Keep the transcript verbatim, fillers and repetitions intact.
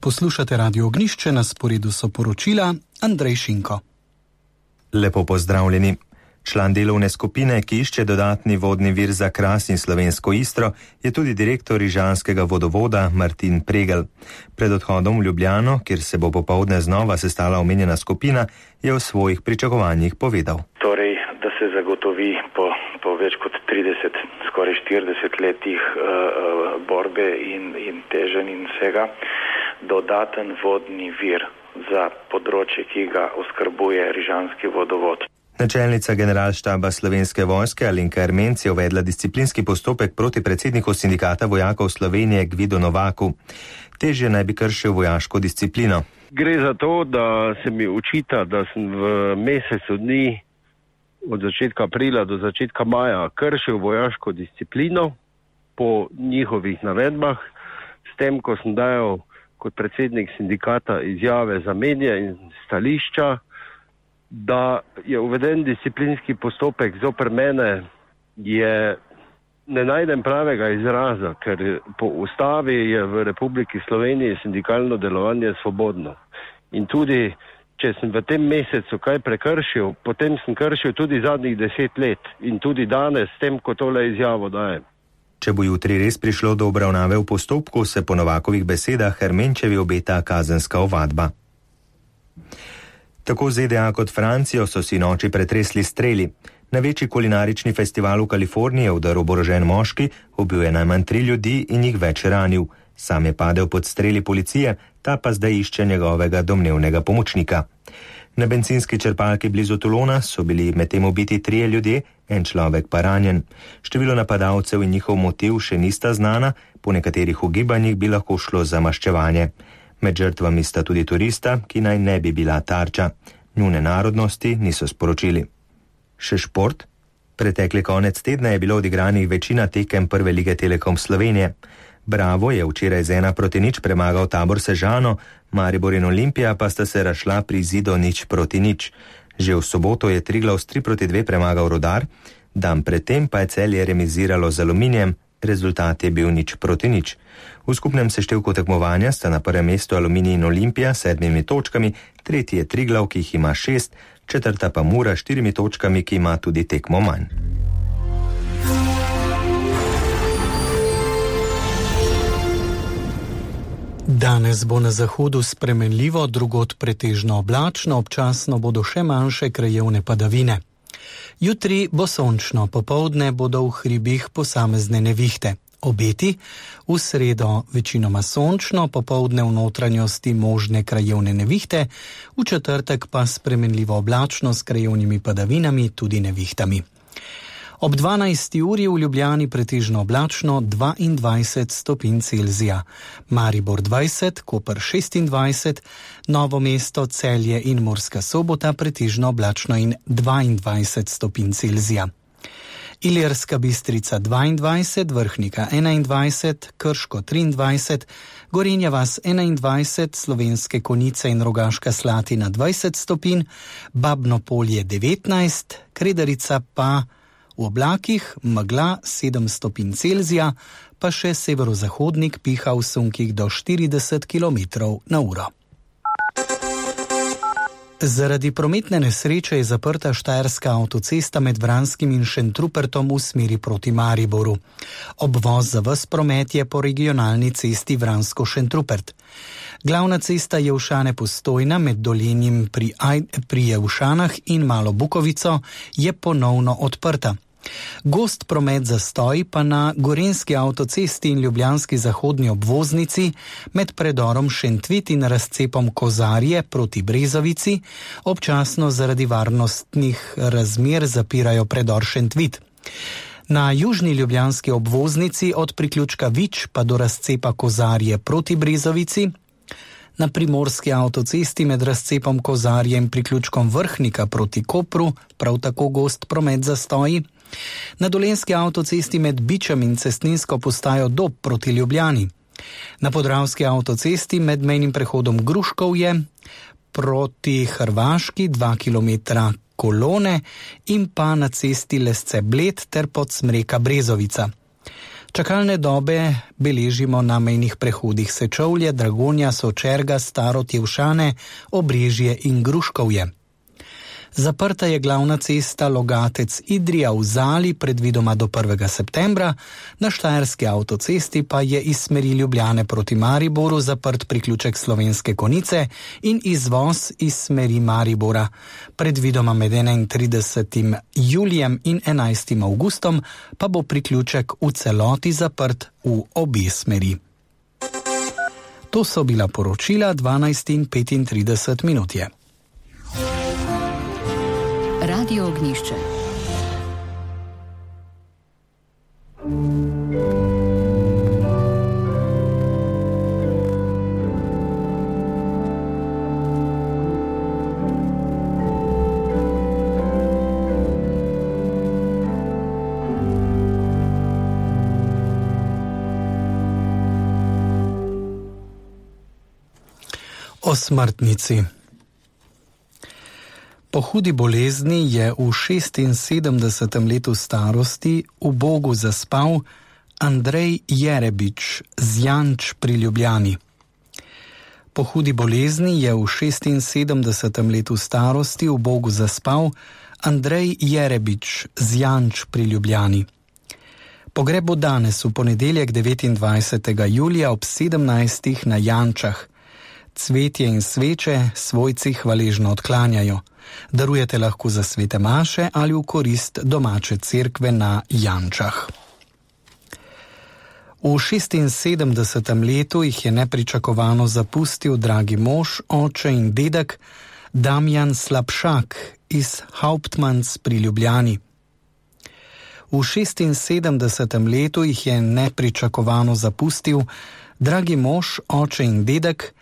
Poslušate Radio Ognjišče, na sporedu so poročila Andrej Šinko. Lepo pozdravljeni. Član delovne skupine, ki išče dodatni vodni vir za Kras in Slovensko Istro, je tudi direktor rižanskega vodovoda Martin Pregl. Pred odhodom v Ljubljano, kjer se bo popoldne znova sestala omenjena skupina, je o svojih pričakovanjih povedal. Torej, da se zagotovi po, po več kot trideset, skoraj štirideset letih uh, borbe in, in teženj in vsega, dodaten vodni vir za področje, ki ga oskrbuje rižanski vodovod. Načelnica generalštaba Slovenske vojske Alenka Ermenc je uvedla disciplinski postopek proti predsedniku sindikata vojakov Slovenije Gvidu Novaku. Težje naj bi kršil vojaško disciplino. Gre za to, da se mi očita, da sem v mesecu dni od začetka aprila do začetka maja kršil vojaško disciplino po njihovih navedbah, s tem, ko sem dajal kot predsednik sindikata izjave za medije in stališča, da je uveden disciplinski postopek zoper mene, je ne najdem pravega izraza, ker po ustavi je v Republiki Sloveniji sindikalno delovanje svobodno. In tudi, če sem v tem mesecu kaj prekršil, potem sem kršil tudi zadnjih deset let in tudi danes s tem, ko tole izjavo dajem. Če bo jutri res prišlo do obravnave v postopku, se po Novakovih besedah Ermenčevi obeta kazenska ovadba. Tako Z D A kot Francijo so si noči pretresli streli. Na večji kulinarični festival v Kaliforniji je vdrl oborožen moški, ubil je najmanj tri ljudi in jih več ranil. Sam je padel pod streli policije, ta pa zdaj išče njegovega domnevnega pomočnika. Na bencinski črpalki blizu Toulona so bili medtem ubiti trije ljudje, en človek pa ranjen. Število napadalcev in njihov motiv še nista znana, po nekaterih ugibanjih bi lahko šlo za maščevanje. Med žrtvami sta tudi turista, ki naj ne bi bila tarča. Njune narodnosti niso sporočili. Še šport? Pretekli konec tedna je bilo odigranih večina tekem prve lige Telekom Slovenije. Bravo je včeraj z ena proti nič premagal Tabor Sežano, Maribor in Olimpija pa sta se razšla pri izidu nič proti nič. Že v soboto je Triglav s tri proti dve premagal Rudar, dan predtem pa je Celje remiziralo z Aluminijem, rezultat je bil nič proti nič. V skupnem seštevku tekmovanja sta na prvem mestu Aluminij in Olimpija s sedmimi točkami, tretji je Triglav, ki jih ima šest, četrta pa Mura s štirimi točkami, ki ima tudi tekmo manj. Danes bo na zahodu spremenljivo, drugod pretežno oblačno, občasno bodo še manjše krajevne padavine. Jutri bo sončno, popoldne bodo v hribih posamezne nevihte. Obeti, v sredo večinoma sončno, popoldne v notranjosti možne krajevne nevihte, v četrtek pa spremenljivo oblačno s krajevnimi padavinami, tudi nevihtami. Ob dvanajsti uri v Ljubljani pretežno oblačno dvaindvajset stopinj Celzija, Maribor dvajset, Koper šestindvajset, Novo mesto, Celje in Murska Sobota pretežno oblačno in dvaindvajset stopinj Celzija. Ilirska Bistrica dvaindvajset, Vrhnika enaindvajset, Krško triindvajset, Gorenja vas enaindvajset, Slovenske Konjice in Rogaška Slatina dvajset stopinj, Babno Polje devetnajst, Kredarica pa v oblakih, megla sedem stopinj Celzija, pa še severozahodnik piha v sunkih do štirideset kilometrov na uro. Zaradi prometne nesreče je zaprta štajerska avtocesta med Vranskim in Šentrupertom v smeri proti Mariboru. Obvoz za ves promet je po regionalni cesti Vransko-Šentrupert. Glavna cesta Jevšane-Postojna med Dolenjem pri, pri Jevšanah in Malo Bukovico je ponovno odprta. Gost promet zastoj pa na gorenjski avtocesti in ljubljanski zahodni obvoznici med predorom Šentvit in razcepom Kozarje proti Brezovici, občasno zaradi varnostnih razmer zapirajo predor Šentvit. Na južni ljubljanski obvoznici od priključka Vič pa do razcepa Kozarje proti Brezovici, na primorski avtocesti med razcepom Kozarje in priključkom Vrhnika proti Kopru prav tako gost promet zastoji, na dolenjski avtocesti med Bičem in cestninsko postajo Dob proti Ljubljani, na podravski avtocesti med mejnim prehodom Gruškovje proti Hrvaški dva kilometra kolone in pa na cesti Lesce Bled ter Podsmreka Brezovica. Čakalne dobe beležimo na mejnih prehodih Sečovlje, Dragonja, Sočerga, Staro Tjevšane, Obrežje in Gruškovje. Zaprta je glavna cesta Logatec-Idrija v Zali predvidoma do prvega septembra, na štajerski avtocesti pa je iz smeri Ljubljane proti Mariboru zaprt priključek Slovenske Konjice in izvoz iz smeri Maribora. Predvidoma med enaintridesetim julijem in enajstim avgustom pa bo priključek v celoti zaprt v obe smeri. To so bila poročila dvanajst in petintrideset minut je. Radio Ognjišče. O smrtnici. Po hudi bolezni je v šestinsedemdesetem letu starosti v Bogu zaspal Andrej Jerebič z Janč pri Ljubljani. Po hudi bolezni je v šestinsedemdesetem letu starosti v Bogu zaspal Andrej Jerebič z Janč pri Ljubljani. Pogreb bo danes v ponedeljek devetindvajsetega julija ob sedemnajstih na Jančah. Cvetje in sveče svojci hvaležno odklanjajo. Darujete lahko za svete maše ali v korist domače cerkve na Jančah. V šestinsedemdesetem letu jih je nepričakovano zapustil dragi mož, oče in dedek Damjan Slapšak iz Hauptmanns pri Ljubljani. V šestinsedemdesetem letu jih je nepričakovano zapustil dragi mož, oče in dedek